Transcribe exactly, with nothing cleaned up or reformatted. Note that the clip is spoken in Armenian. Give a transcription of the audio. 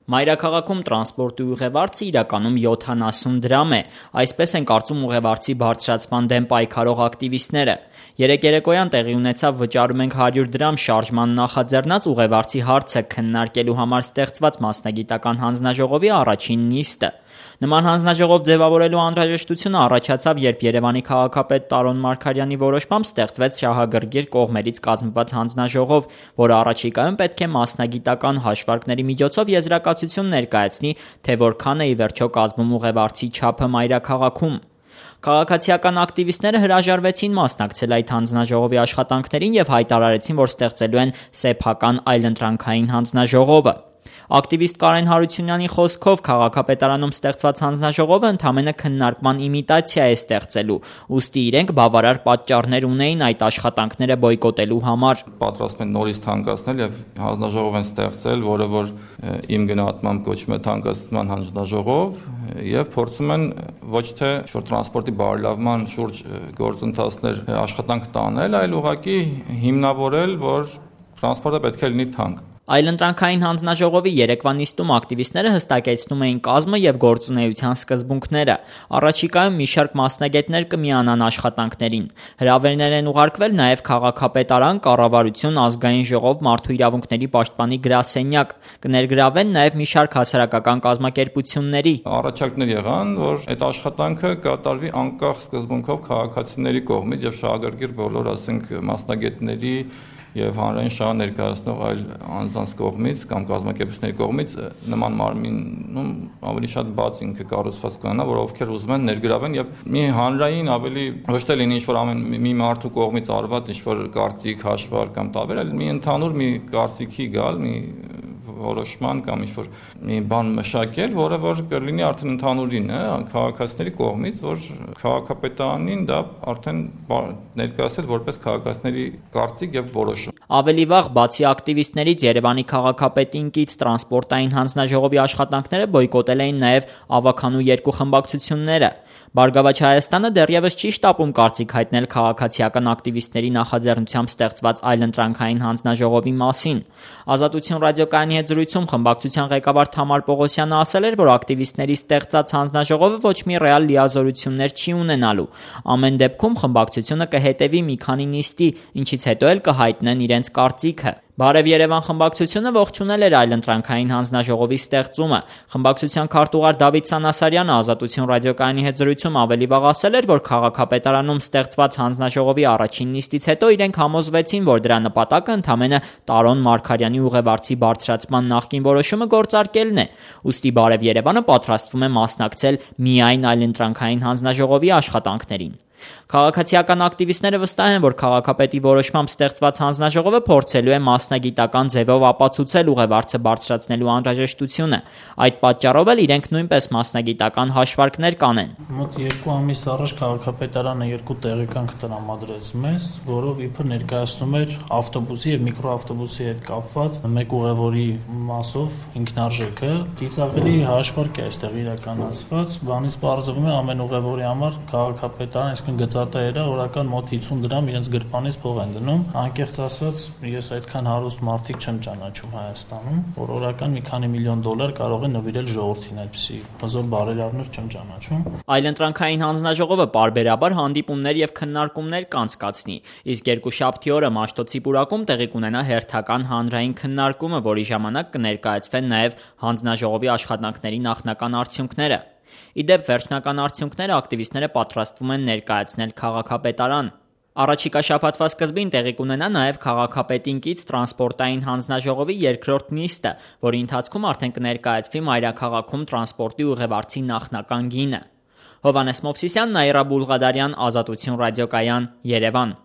Մայրաքաղաքում տրանսպորտի ուղևորցը իրականում յոթանասուն դրամ է, այսպես են կարծում ուղևորցի բարձրացման դեմ պայքարող ակտիվիստները։ Երեկ երեկոյան տեղի ունեցավ «Վճարում ենք հարյուր դրամ» շարժման նախաձեռնած ուղևորցի հարցը քննարկելու համար ստեղծված մասնագիտական հանձնաժողովի առաջին նիստը։ Նման հանձնաժողով ձևավորելու անհրաժեշտությունը առաջացավ, երբ Երևանի քաղաքապետ Տարոն Մարգարյանի որոշմամբ ստեղծվեց շահագրգիռ կողմերից կազմված հանձնաժողով, որը առաջիկայում պետք է մասնագիտական հաշվարկների միջոցով եզրակացություն ներկայացնի, թե որքան է ի վերջո կազմում ուղևորցի չափը մայրաքաղաքում։ Քաղաքացիական ակտիվիստները հրաժարվեցին մասնակցել այդ հանձնաժողովի աշխատանքներին և հայտարարեցին, որ ստեղծելու են սեփական այլընտրանքային հանձնաժողովը։ Ակտիվիստ Կարեն Հարությունյանի խոսքով քաղաքապետարանում ստեղծված հանձնաժողովը ընդամենը քննարկման իմիտացիա է ստեղծելու, ուստի իրենք բավարար պատճառներ ունեին այդ աշխատանքները բոյկոտելու համար։ Պատրաստվում են նորից թանկացնել և հանձնաժողով են ստեղծել, որը որ իմ գնահատմամբ կոչվում է թանկացման հանձնաժողով, և փորձում են ոչ թե տրանսպորտի բարելավման շուրջ գործընթացներ աշխատանք տանել, այլ ուղղակի հիմնավորել, որ տրանսպորտը պետք է լինի թանկ։ Այլընտրանքային հանձնաժողովի երեկվա նիստում ակտիվիստները հստակեցնում էին կազմը և գործունեության սկզբունքները։ Առաջիկայում մի շարք մասնագետներ կմիանան աշխատանքներին։ Հրավերներ են ուղարկվել նաև քաղաքապետարան, կառավարություն, ազգային ժողով, մարդու իրավունքների պաշտպանի գրասենյակ։ Կներգրավվեն նաև մի շարք հասարակական կազմակերպությունների։ Առաջարկներ եղան, որ այդ աշխատանքը կատարվի անկախ սկզբունքով քաղաքացիների կողմից և շահագրգիռ բոլոր, ասենք, մասնագետների և հանրային շահը ներկայացնող այլ անձանց կողմից կամ կազմակերպությունների կողմից նման մարմինում ավելի շատ բաց ինքը կառուցված կունենա, որ ովքեր ուզում են ներգրավեն և մի հանրային ավելի ոչ թե լինի ինչ-որ ամեն մի մարդու կողմից արված ինչ-որ կարծիք, հաշվարկ կամ տարբեր, այլ մի ընդհանուր մի կարծիքի գալ, մի որոշման կամ ինչ-որ մի բան մշակել, որը որ կլինի արդեն ընդհանուրին է, քաղաքացիների կողմից, որ քաղաքապետարանին դա արդեն ներկայացել որպես քաղաքացիների կարծիք և որոշում։ Ավելի վաղ, բացի ակտիվիստներից, Երևանի քաղաքապետին կից տրանսպորտային հանձնաժողովի աշխատանքները բոյկոտել էին նաև ավագանու երկու խմբակցությունները։ Բարգավաճ Հայաստանը դեռևս չի շտապում կարծիք հայտնել քաղաքացիական ակտիվիստների նախաձեռնությամբ ստեղծված այլընտրանքային հանձնաժողովի մասին։ Ազատություն ռադիոկայանի հետ զրույցում խմբակցության ղեկավար Թամար Պողոսյանը ասել էր, որ ակտիվիստների ստեղծած հանձնաժողովը ոչ մի ռեալ լիազորություններ չի ունենալու։ Ամեն դեպքում խմբակցությունը կհետևի մի քանի նիստի, ինչից հետո էլ կհայտնեն իրենց կարծիքը։ Բարև Երևան խմբակցությունը ողջունել էր այլընտրանքային հանձնաժողովի ստեղծումը։ Խմբակցության քարտուղար Դավիթ Սանասարյանը Ազատություն ռադիոկայանի հետ զրույցում ավելի վաղ ասել էր, որ քաղաքապետարանում ստեղծված հանձնաժողովի առաջին նիստից հետո իրենք համոզվեցին, որ դրա նպատակը ընդամենը Տարոն Մարգարյանի ուղևորցի բարձրացման նախկին որոշումը գործարկելն է։ Ուստի Բարև Երևանը պատրաստվում է մասնակցել միայն այլընտրանքային հանձնաժողովի աշխատանքներին։ Քաղաքացիական ակտիվիստները վստահ են, որ քաղաքապետի որոշմամբ ստեղծված հանձնաժողովը փորձելու է մասնագիտական ձևով ապացուցել ուղևորցը բարձրացնելու անհրաժեշտությունը։ Այդ պատճառով էլ իրենք նույնպես մասնագիտական հաշվարկներ կանեն։ Մոտ երկու ամիս առաջ քաղաքապետարանը երկու տեղեկանք տրամադրեց մեզ, որով իբր ներկայացնում էր ավտոբուսի և միկրոավտոբուսի հետ կապված մեկ ուղևորի մասով ինքնարժեքը։ Ծիծաղելի հաշվարկ է այստեղ իրականացված, բանից պարզվում է ամեն ուղևորի համար քաղաքապետարանը գծատերը օրական մոտ հիսուն դրամ իրենց գրպանից փող են դնում։ Անկեղծ ասած, ես այդքան հարուստ մարդիկ չեմ ճանաչում Հայաստանում, որ օրական մի քանի միլիոն դոլար կարող է նվիրել ժողովրդին, այդպիսի հզոր բարերարներ չեմ ճանաչում։ Այլընտրանքային հանձնաժողովը պարբերաբար հանդիպումներ և քննարկումներ կանցկացնի, իսկ երկուշաբթի օրը Մաշտոցի պուրակում տեղի կունենա հերթական հանրային քննարկումը, որի ժամանակ կներկայացվեն նաև հանձնաժողովի աշխատանքների նախնական արդյունքները։ Ի դեպ, վերջնական արդյունքները ակտիվիստները պատրաստվում են ներկայացնել քաղաքապետարան։ Առաջիկա շաբաթվա սկզբին տեղի կունենա նաև քաղաքապետին կից տրանսպորտային հանձնաժողովի երկրորդ նիստը, որի ընթացքում արդեն կներկայացվի մայրաքաղաքում տրանսպորտի ուղևորցի նախնական գինը։ Հովհաննես Մովսիսյան, Նաիրա Բուլղադարյան, Ազատություն ռադիոկայան, Երևան։